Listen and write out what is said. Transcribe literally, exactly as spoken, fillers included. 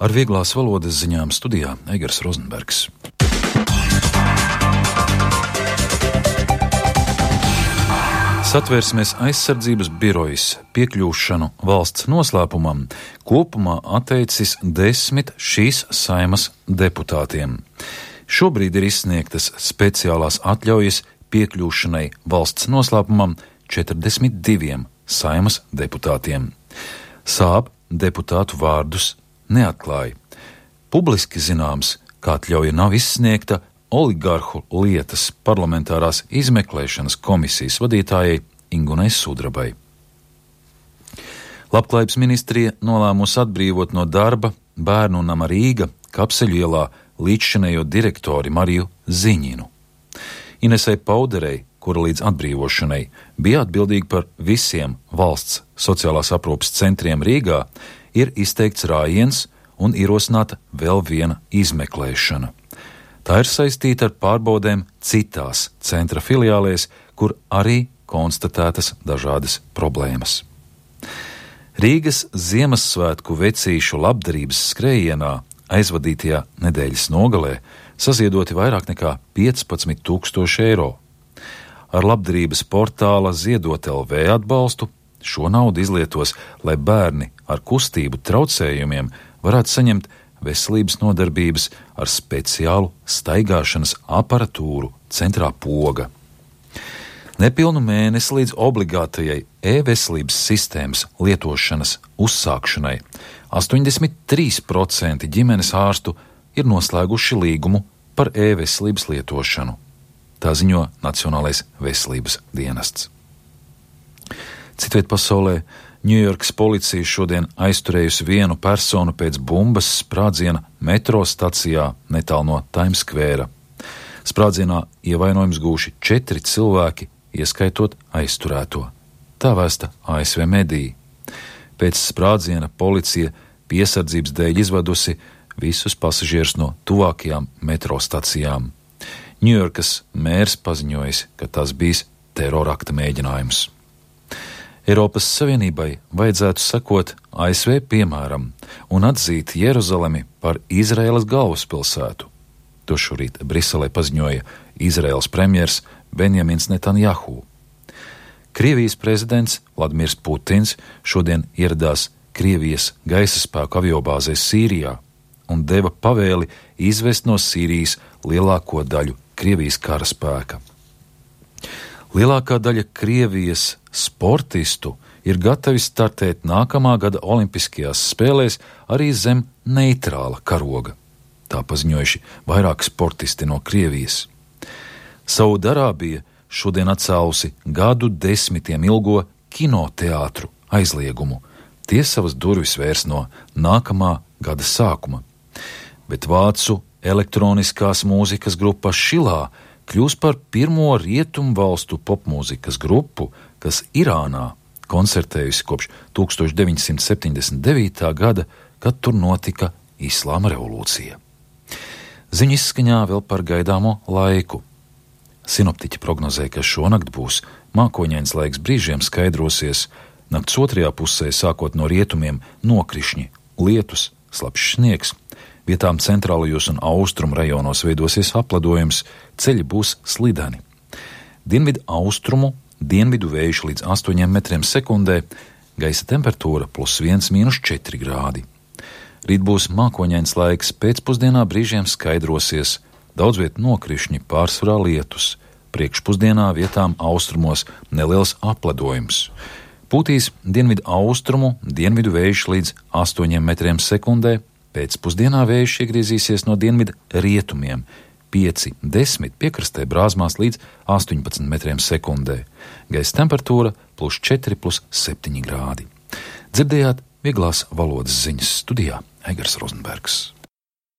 Ar vieglās valodas ziņām studijā Eigars Rozenbergs. Satversmes aizsardzības birojas piekļūšanu valsts noslēpumam kopumā atteicis desmit šīs Saeimas deputātiem. Šobrīd ir izsniegtas speciālās atļaujas piekļūšanai valsts noslēpumam četrdesmit diviem Saeimas deputātiem. Sāb deputātu vārdus neatklāja. Publiski zināms, ka atļauja nav izsniegta oligarhu lietas parlamentārās izmeklēšanas komisijas vadītājai Ingunai Sudrabai. Labklājības ministrija nolēmusi atbrīvot no darba Bērnu nama Rīga Kapseļu ielā līdzšinējo direktori Mariju Ziņinu. Inesei Pauderei, kura līdz atbrīvošanai bija atbildīga par visiem valsts sociālās aprūpes centriem Rīgā, ir izteikts rājiens un ierosināta vēl viena izmeklēšana. Tā ir saistīta ar pārbaudēm citās centra filiālēs, kur arī konstatētas dažādas problēmas. Rīgas Ziemassvētku vecīšu labdarības skrējienā aizvadītajā nedēļas nogalē saziedoti vairāk nekā piecpadsmit tūkstoši eiro. Ar labdarības portāla Ziedot L V atbalstu šo naudu izlietos, lai bērni ar kustību traucējumiem varētu saņemt veselības nodarbības ar speciālu staigāšanas aparatūru centrā Poga. Nepilnu mēnesi līdz obligātajai e-veselības sistēmas lietošanas uzsākšanai astoņdesmit trīs procenti ģimenes ārstu ir noslēguši līgumu par e-veselības lietošanu. Tā ziņo Nacionālais veselības dienests. Citviet pasaulē Ņujorkas policija šodien aizturējusi vienu personu pēc bumbas sprādziena metro stacijā netālu no Times Square. Sprādzienā ievainojums gūši četri cilvēki, ieskaitot aizturēto. Tā vēsta A S V mediji. Pēc sprādziena policija piesardzības dēļ izvadusi visus pasažierus no tuvākajām metro stacijām. Ņujorkas mērs paziņojis, ka tas bijis terorakta mēģinājums. Eiropas Savienībai vajadzētu sekot A S V piemēram un atzīt Jeruzalemi par Izraēlas galvaspilsētu. To šorīt Briselē paziņoja Izraēlas premjers Benjamins Netanjahu. Krievijas prezidents Vladimirs Putins šodien ieradās Krievijas gaisa spēku aviobāzē Sīrijā un deva pavēli izvest no Sīrijas lielāko daļu Krievijas karaspēka. Lielākā daļa Krievijas sportistu ir gatavi startēt nākamā gada olimpiskajās spēlēs arī zem neitrāla karoga. Tā paziņojuši vairāki sportisti no Krievijas. Saudarābija šodien atcēlusi gadu desmitiem ilgo kinoteātru aizliegumu. Tie savas durvis vērs no nākamā gada sākuma. Bet vācu elektroniskās mūzikas grupa Šilā kļūs par pirmo rietumu valstu popmūzikas grupu, kas Irānā koncertējusi kopš tūkstoš deviņsimt septiņdesmit devītā gada, kad tur notika Islāma revolūcija. Ziņu izskaņā vēl par gaidāmo laiku. Sinoptiķi prognozē, ka šonakt būs mākoņains laiks, brīžiem skaidrosies, nakts otrajā pusē sākot no rietumiem nokrišņi, lietus, slapjš sniegs. Vietām centrālajos un austrumu rajonos veidosies apledojums, ceļi būs slideni. Dienvidu austrumu, dienvidu vējš līdz astoņiem metriem sekundē, gaisa temperatūra plus viens mīnus četri grādi. Rīt būs mākoņains laiks, pēcpusdienā brīžiem skaidrosies, daudz viet nokrišņi, pārsvarā lietus, priekšpusdienā vietām austrumos neliels apledojums. Pūtīs dienvidu austrumu, dienvidu vējš līdz astoņiem metriem sekundē, pēcpusdienā vējš iegriezīsies no dienvidu rietumiem, pieci desmit piekrastē brāzmās līdz astoņpadsmit metriem sekundē. Gaisa temperatūra plus četri plus septiņi grādi. Dzirdējāt vieglās valodas ziņas studijā Eigars Rozenbergs.